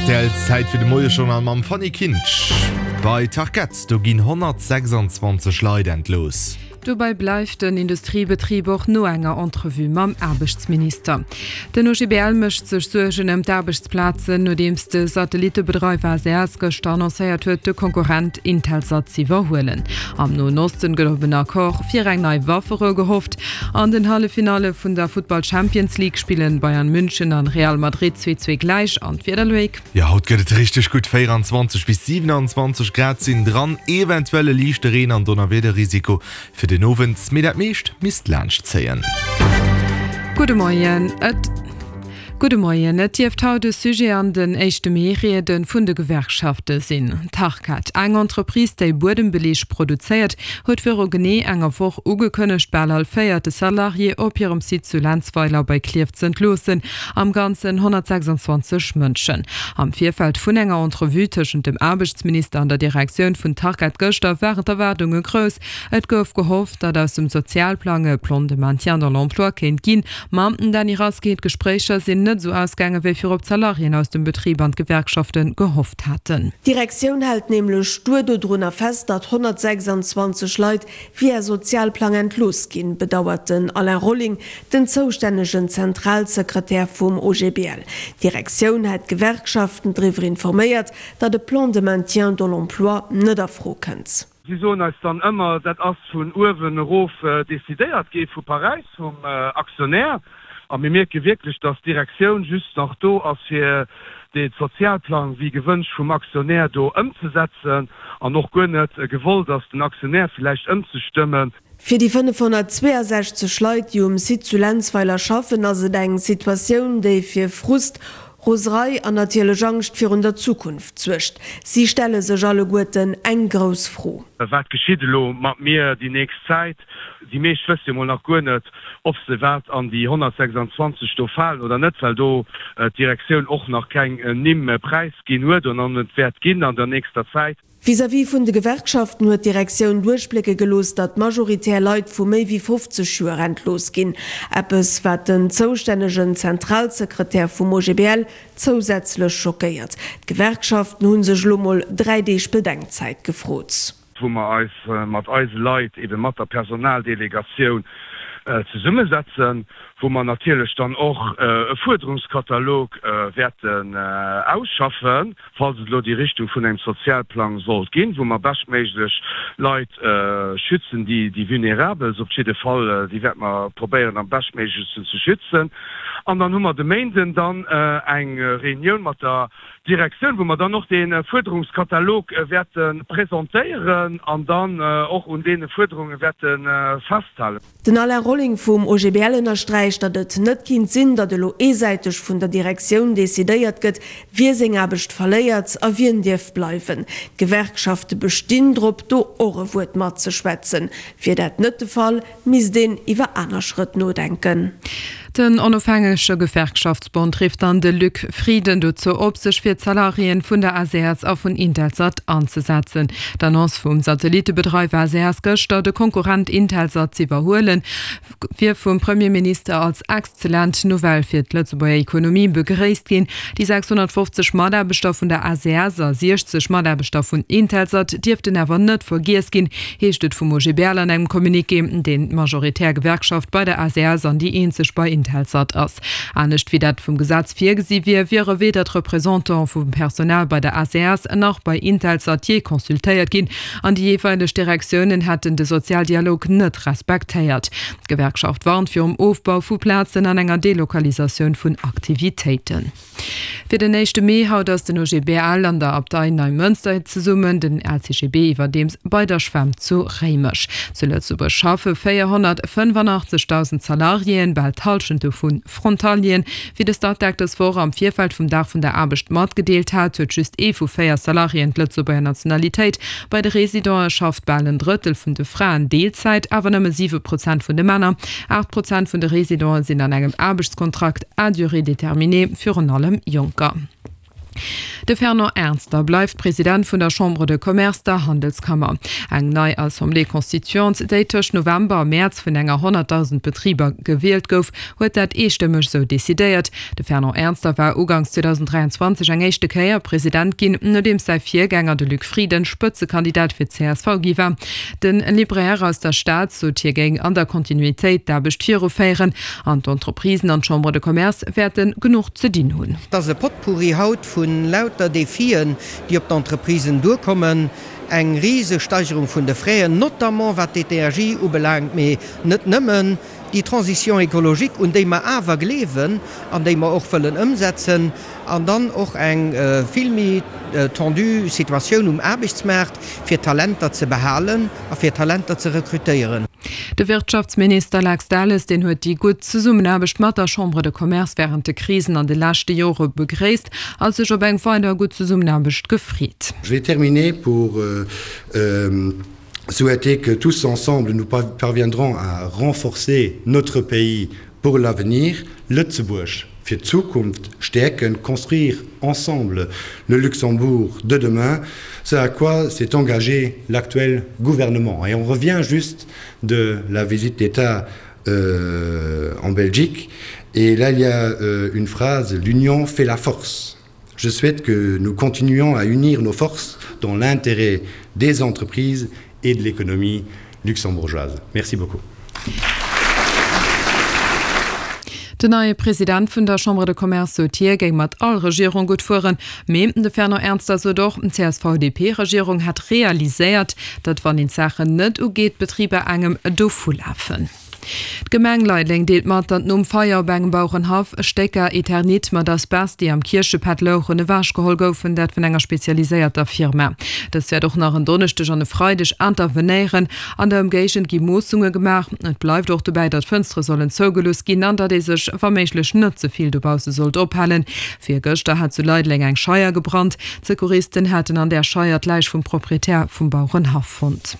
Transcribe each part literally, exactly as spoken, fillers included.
R T L, Zäit fir de Moiejournal mam Fanny Kinsch. Bei Tarkett, do ginn honnertsechsanzwanzeg Leit entlooss. Dobäi bleift den Industriebetrib och no enger Entrevue mam Aarbechtsminister. Den O G B L mécht sech Suergen ëm d'Aarbechtsplazen, nodeems de Satellittebedreiwer S E S gëschter annoncéiert huet, de Konkurrent Intelsat z'iwwerhuelen. Am Noen Osten gëtt op en Accord fir eng nei Wafferou gehofft. An den Halleffinalle vun der Futtball Champions League spillen Bayern München an Real Madrid zwee zwee gläich. An d'Wieder, Loïc? Jo, haut gëtt et richteg gutt, véieranzwanzeg bis siewenanzwanzeg Grad sinn dran, eventuell e liichte Reen an Donnerwiederrisiko fir den Owend, mee dat meescht misst laanscht zéien. Gudde Moien. Et Gudde Moien. Et dierft haut e Sujet an den éischte Mee-Riede vun de Gewerkschafte sinn. Tarkett, eng Entreprise, déi Buedembeleeg produzéiert, huet viru genee enger Woch ugekënnegt, bal all véierte Salarié op hirem Site zu Lenzweiler bei Klierf z'entloossen, am Ganzen honnertsechsanzwanzeg Mënschen. Am Virfeld vun enger Entrevue tëschent dem Aarbechtsminister an der Direktioun vun Tarkett gëschter waren d'Erwaardunge grouss. Et gouf gehofft, datt aus dem Sozialplang e Plan de maintien dans l'emploi kéint ginn. Ma, Dany Rasqué, d'Gespréicher sinn net esou ausgaangen, wéi virop d'Salariéen aus dem Betrib an d'Gewerkschafte gehofft haten. D'Direktioun hält nämlech stuer dodrunner fest, datt honnertsechsanzwanzeg Leit via Sozialplang entlooss ginn, bedauert den Alain Rolling, den zoustännegen Zentralsekretär vum O G B L. D'Direktioun hätt d'Gewerkschaften driwwer informéiert, datt e Plan de maintien dans l'emploi net a Fro kënnt. Si soen eis dann ëmmer, dat ass vun uewen erof decidéiert gi vu Paräis, vum Aktionär. A mir mierke wierklech, datt d'Direktioun just nach do ass, fir de Sozialplang wéi gewënscht vum Aktionär do ëmzesetzen an och guer net gewollt ass, den Aktionär villäicht ëmzestëmmen. Fir déi fënnefhonnertzweeasechzeg Leit, déi um Site zu Lenzweiler schaffen, ass et eng Situatioun, déi fir Frust, Roserei an natierlech Angscht virun der Zukunft suergt. Si stelle sech alleguerten eng grouss Fro. Wat geschitt elo mat mir déi nächst Zäit? Déi meescht wësse jo mol nach guer net, ob se wat an déi honnertsechsanzwanzeg do falen oder net, well do d'Direktioun och nach keng Nimm präisginn huet an och net wäert ginn an der nächster Zäit. Vis-à-vis vun de Gewerkschaften huet d'Direktioun duerchblécke gelooss, datt majoritär Leit vu méi wéi fofzeg Joer entlooss ginn. Eppes, wat den zoustännegen Zentralsekretär vum O G B L zousätzlech schockéiert. D'Gewerkschaften hu sech elo mol dräi Deeg Bedenkzäit gefrot. Wou mer eis mat eise Leit, ebe mat der Personaldelegatioun zesummesetzen, wou mer natierlech dann och e Fuerderungskatalog wäerten ausschaffen, falls et elo déi Richtung vun engem Sozialplang sollt ginn, wou mer beschtméiglech Leit schützen, déi déi Vulnerabelst op jidde Fall, déi wäerte mer probéieren am beschtméiglechsten ze schützen. An dann hu mer de Méinden dann eng Reunioun mat der Direktioun, wou mer dann och dee Fuerderungskatalog wäerte presentéieren an dann och un deene Fuerderunge wäerte festhalen. Den Alain Rolling vum O G B L ënnersträicht, datt et net kinnt sinn, datt elo eesäiteg vun der Direktioun decidéiert gëtt, wie seng Aarbecht verléiert a wien dierf bleiwen. D'Gewerkschafte bestinn drop, do och e Wuert matzeschwätzen. Wier dat net de Fall, misst een iwwer aner Schrëtt nodenken. Den onofhängege Gewerkschaftsbond rifft dann de Luc Frieden dozou op, sech fir d'Salariéen vun der S E S a vun Intelsat anzesetzen. D'Annonce vum Satellittebedreiwer S E S gëschter, de Konkurrent Intelsat z'iwwerhuelen, wier vum Premierminister als exzellent Nouvelle fir d'Lëtzebuerger Ekonomie begréisst ginn. Déi sechshonnertfofzeg Mataarbechter vun der S E S a siechzeg Mataarbechter vun Intelsat dierften awer net vergiess ginn, heescht et vum O G B L an engem Communiqué, deen d'majoritär Gewerkschaft bei der S E S an déi eenzeg bei Intelsat ass. Anescht wéi dat vum Gesetz virgesi wier, wiere weder d'Representantë vum Personal bei der S E S nach bei Intelsat jee consultéiert ginn an déi jeeweileg Direktiounen hätten de Sozialdialog net respektéiert. D'Gewerkschaft warnt virum Ofbau vu Plazen an enger Delokalisatioun vun Aktivitéiten. Fir den éischte Mee haut ass den O G B L an der Abtei Neimënster zesummen, den L C G B iwwerdeems bei der Schwämm zu Réimech. Zu Lëtzebuerg schaffe véierhonnertfënnefanachtzeghdausend Salariéen, bal d'Hallschent dovu Frontalieren. Wéi de Statec dës Woch am Virfeld vum Dag vun der Aarbecht matgedeelt hat, huet just ee vu véier Salariéen d'Lëtzebuerger Nationalitéit. Bei de Residente schafft bal en Drëttel vun de Fraen Deelzäit, awer nëmme siwe Prozent vun de Männer. Aacht Prozent vun de Residente sinn an engem Aarbechtskontrakt à durée déterminée, virun allem Jonker. De Fernand Ernster bleift President vun der Chambre de Commerce, der Handelskammer. Eng nei Assemblée constituante, déi tëscht November a Mäerz vun enger honnertdausend Betriber gewielt gouf, huet dat eestëmmeg esou decidéiert. De Fernand Ernster war uganks zweedausenddräianzwanzeg eng éischte Kéier President ginn, nodeems säi Virgänger, de Luc Frieden, Spëtzekandidat fir d'C S V gi war. De Libraire aus der Stad sot, hie géing an der Kontinuitéit d'Aarbecht viruféieren an d'Entreprisen an d'Chambre de Commerce wäerte genuch ze dinn hunn. Et ass e Potpourri haut vu lauter Defien, déi op d'Entreprisen duerkommen, eng Risesteigerung vun de Fräen, notamment wat d'Energie ubelaangt, mee net nëmmen, déi Transition écologique, un déi mer awer gleewen an déi mer och wëllen ëmsetzen, an dann och eng vill méi tendue Situatioun um Aarbechtsmaart, fir Talenter ze behalen a fir Talenter ze rekrutéieren. De Wirtschaftsminister Lex Delles, deen huet déi gutt Zesummenaarbecht mat der Chambre de Commerce wärend de Krisen an de leschte Jore begréisst a sech op eng weider gutt Zesummenaarbecht gefreet. Je vais terminer pour souhaiter que tous ensemble nous parviendrons à renforcer notre pays pour l'avenir, Lëtzebuerg fir d'Zukunft stäerken, construire ensemble le Luxembourg de demain, ce à quoi s'est engagé l'actuel gouvernement. Et on revient juste de la visite d'État euh, en Belgique, et là il y a euh, une phrase, l'union fait la force. Je souhaite que nous continuions à unir nos forces dans l'intérêt des entreprises et de l'économie luxembourgeoise. Merci beaucoup. Den neie President vun der Chambre de Commerce sot, hie géing mat all Regierung gutt fueren. Mee de Fernand Ernster sot och, d'C S V D P-Regierung hätt realiséiert, datt wann een d'Saachen net ugeet, d'Betriber engem dovulafen. D'Gemeng Leideleng deelt mat, datt nom Feier op engem Bauerenhaff Stécker Eternit mat Asbest, déi am Kierchepad louchen, ewechgeholl goufen, dat vun enger spezialiséierter Firma. Dës wäert och nach en Donneschdeg an e Freideg intervenéieren. An der Ëmgéigend gi Moossunge gemaach. Et bleift och dobäi, datt d'Fënstere sollen zougelooss ginn an datt ee sech wa méiglech net ze vill dobausse sollt ophalen. Virgëschter hat zu Leideleng eng Scheier gebrannt. D'Secouristen haten an där Scheier d'Läich vum Proprietär vum Bauerenhaff fonnt.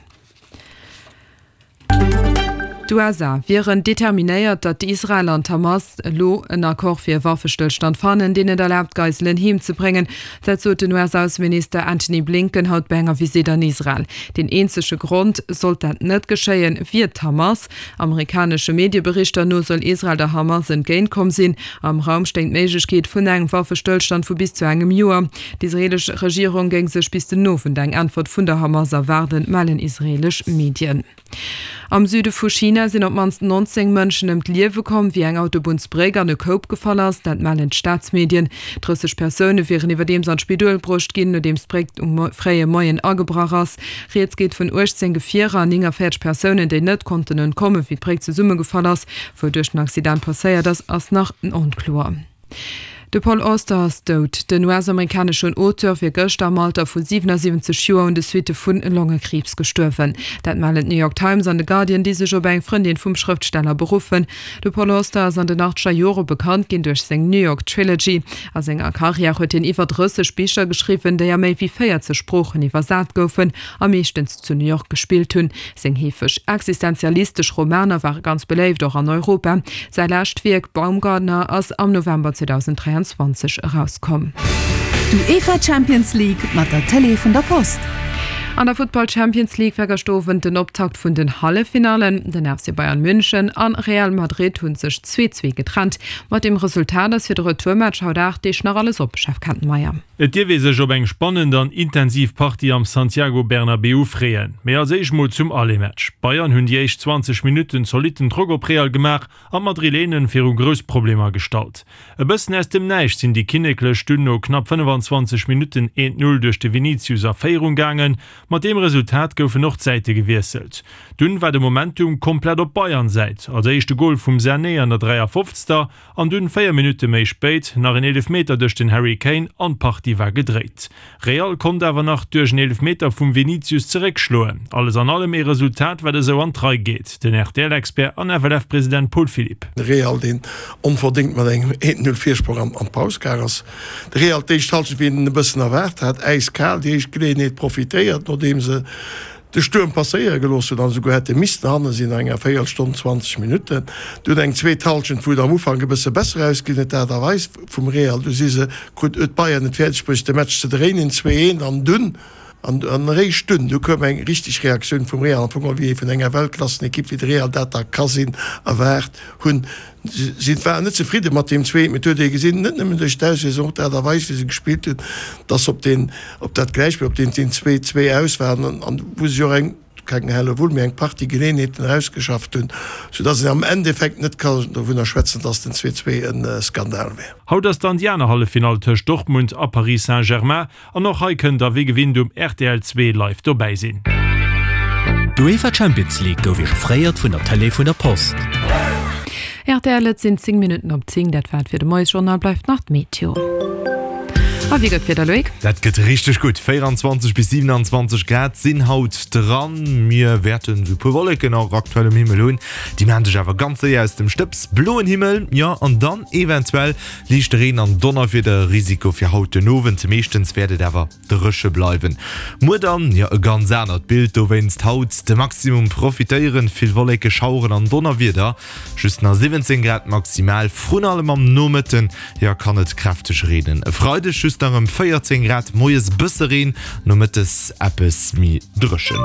D'U S A wieren determinéiert, datt Israel an d'Hamas elo en Accord fir e Waffestëllstand fannen, deen et erlaabt, d'Geiselen heem ze bréngen. Dat sot den U S-Ausseminister Antony Blinken haut bei enger Visitt an Israel. Deen eenzege Grond, sollt dat net geschéien, wier d'Hamas. Amerikanesche Medieberichter no soll Israel der Hamas entgéint komm sinn. Am Raum stéing d'Méiglechkeet vun engem Waffestëllstand vu bis zu engem Joer. D'israelesch Regierung géing sech bis den Owend eng Äntwert vun der Hamas erwaarden, mellen israelesch Medien. Am Süde vu China sinn op d'mannst nonzéng Mënschen ëm d'Liewe komm, wéi eng Autobunnsbréck an e Koup gefall ass. Dat mellen d'Staatsmedien. Drësseg Persoune wieren iwwerdeems an d'Spidol bruecht ginn, nodeems d'Bréck um fréie Moien agebrach ass. Rieds geet vun uechtzéng Gefierer an néngavéierzeg Persounen, déi net konnten entkommen, wéi d'Bréck zesummegefall ass. Wouduerch den Accident passéiert ass, ass nach onkloer. De Paul Auster ass dout. Den U S-amerikaneschen Auteur wier gëschter am Alter vu siwenasiwwenzeg Joer un de Suitte vu Longekriibs gestuerwen. Dat mellen d'New York Times an de Guardian, déi sech op eng Frëndin vum Schrëftsteller beruffen. De Paul Auster ass an den achtzeger Jore bekannt ginn duerch seng New York Trilogy. A senger Karriär huet hien iwwer drësseg Bicher geschriwwen, déi a méi wéi véierzeg Sproochen iwwersat goufen a meeschtens zu New York gespillt hunn. Seng heefeg existenzialistesch Romaner ware ganz beléift, och an Europa. Säi lescht Wierk Baumgartner ass am November zweedausenddräianzwanzeg erauskomm. D'UEFA Champions League mat der Tëlee vun der Post. An der Futtball Champions League war gëschter Owend den Optakt vun den Halleffinallen. Den F C Bayern München an Real Madrid hunn sech zwee zwee getrennt. Mat deem Resultat ass fir de Retourmatch haut aacht Deeg nach alles op, Jeff Kettenmeyer. Et dierf ee sech op eng spannend an intensiv Partie am Santiago Bernabéu freeën. Mee als éischt mol zum Aller-Match. D'Bayern hunn déi éischt zwanzeg Minutten zolitten Drock op Real gemaach an d'Madrilenen viru grouss Problemer gestallt. E bëssen aus dem Näischt sinn déi Kinneklech dunn no knapp fënnefenzwanzeg Minutten eent Null duerch de Vinicius a Féierung gaangen. Mat deem Resultat goufen och d'Säite gewiesselt. Dunn war de Momentum komplett op Bayern-Säit. Als éischt de Gol vum Sané an der dräiafofzegster an dunn véier Minutte méi spéit nach en Eelefmeter duerch den Harry Kane an d'Partie war gedréit. Real konnt awer nach duerch en Eelefmeter vum Vinicius zeréckschloen. Alles an allem ee Resultat wat esou an d'Rei geet. Den R T L-Expert an F L F-President Paul Philipp. De Real deen onverdéngt mat engem eent Null Virsprong an d'Paus gaang ass. De Real d'éischt Halschent wéi een e bëssen erwaart hat, äiskal déi éischt Geleeënheet profitéiert, nodeem se de Stuerm passéiere gelooss hunn an esouguer hätte missten hanne sinn no enger Véierelstonn, zwanzeg Minutten. Dunn eng zweet Hallschent, wou et am Ufank e bësse besser ausgesinn huet, d'Aart a Weis vum Real. Du si se, krut, huet Bayern et fäerdeg bruecht, de Match ze dréinen, zwee eent, an dunn, an eréischt dunn, du koum eng richteg Reaktioun vum Real, am Fong wéi ee vun enger Weltklassenekipp wéi de Real dat da ka sinn, erwaart hunn. Si waren net zefridde mat deem zweeten, mee et huet ee gesinn, net nëmmen duerch d'Auswiesslung, och d'Aart a Weis, wéi se gespillt hunn, dass se op deen, op dat Gläichspill, op deen deen zwee, zwee aus waren an wou se jo och eng, keng Hellewull, mee eng Partie Geleeënheeten erausgeschafft hunn, soudass een am Endeffekt net ka dovunner schwätzen, dass den zwee, zwee e Skandal wär. Haut ass dann déi aner Halleffinall tëscht Dortmund a Paris Saint-Germain an och hei kënnt der wéi gewinnt um rtl zwee live dobäi sinn. D'UEFA Champions League gouf Iech offréiert vun der Tëlee vun der Post. Rtl, Et sinn zéng Minutten op zéng. Dat war et fir de Moiesjournal. Bleift nach d'Meteo. A wéi gëtt d'Wieder, Loïc? Dat gëtt richteg gutt, véieranzwanzeg bis siewenanzwanzeg Grad sinn haut dran. Mir wäerten esou puer Wolleken och aktuell um Himmel hunn, déi maachen sech awer ganz séier aus dem Stëbs. Bloen Himmel, jo, an dann eventuell liichte Reen an Donnerwiederrisiko fir haut den Owend. Meeschtens wäert et awer dréche bleiwen. Muer dann, jo, e ganz anert Bild, dowéinst haut de Maximum profitéieren, vill Wolleke, Schaueren an Donnerwieder, just nach siwwenzéng Grad maximal. Vrun allem am Nomëtten, jo, kann et kräfteg reenen. E Freideg just nach ëm véierzéng Grad, moies bësse Reen, nomëttes eppes méi dréchen.